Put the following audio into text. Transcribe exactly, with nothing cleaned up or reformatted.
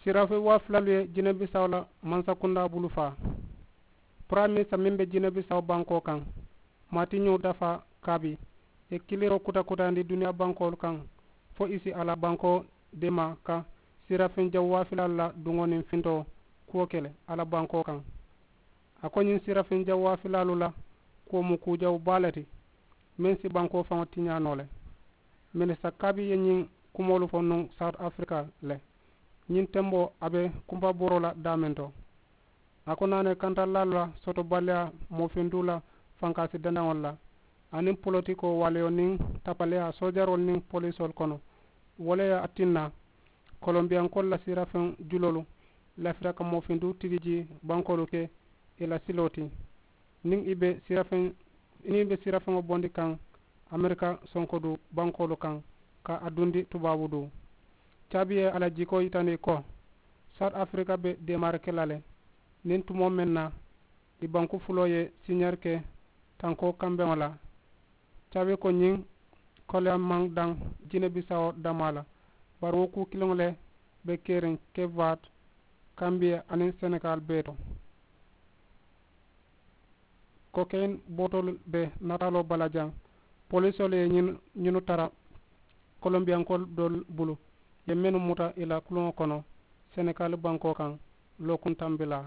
Sirafeŋ waa filalu ye jinebisawo la mansakundaa bulu faa. Puraminsa meŋ be jinebisawo bankoo kaŋ, maatiñoo dafaa kaabi, ye kiliroo kuta kutandi duniyaa bankoolu kaŋ, fo i si a la bankoo deemaa ka sirafeŋ jawu waa filaalu la duŋo niŋ fintoo kuwo ke le a la bankoo kaŋ. A ko ñiŋ sirafeŋ jawu waa filaalu la kuwo mu kuu jawu baa le ti, meŋ si bankoo faŋo tiñaa noo le. Minista kaabi ye ñiŋ kumoolu fo nuŋ sawuti afirika le. Ñiŋ temboo a be kumpabooroo la daameŋ to. A ko naanee kantalaalu la sotobaliyaa moofindu la fankaasi dandaŋolu la, aniŋ politikoo waaliyo niŋ tapaleyaa soojaroolu niŋ polisoolu kono. Wo le ye a tinna kolombiyankoolu la siirafeŋ juloolu lafita ka moofindu tigi jii bankoolu ke i la siloo ti. Niŋ i be siirafeŋ niŋ i be siirafeŋo bondi kaŋ amerika sonkodu bankoolu kaŋ ka a dundi tubaabu duu. Caabi ye a la jikoo yitandi ko sawuti afirika be deemaari ke la le niŋ tumoo meŋ na i banku fuloo ye siñeeri ke tankoo kambeŋo la. Caabi ko ñiŋ koleyaa maŋ daŋ jinebisawo damaa la, bari wo kuu kiliŋo le be keriŋ kebaati, kambiya aniŋ senegaali bee to. Kokeyin bootolu be nataaloo bala jaŋ. Polisoolu ye ñinu tara kolombiyankoolu doolu bulu ye mennu muta i la kuluŋo kono senegaali bankoo kaŋ lookuŋ tambilaa.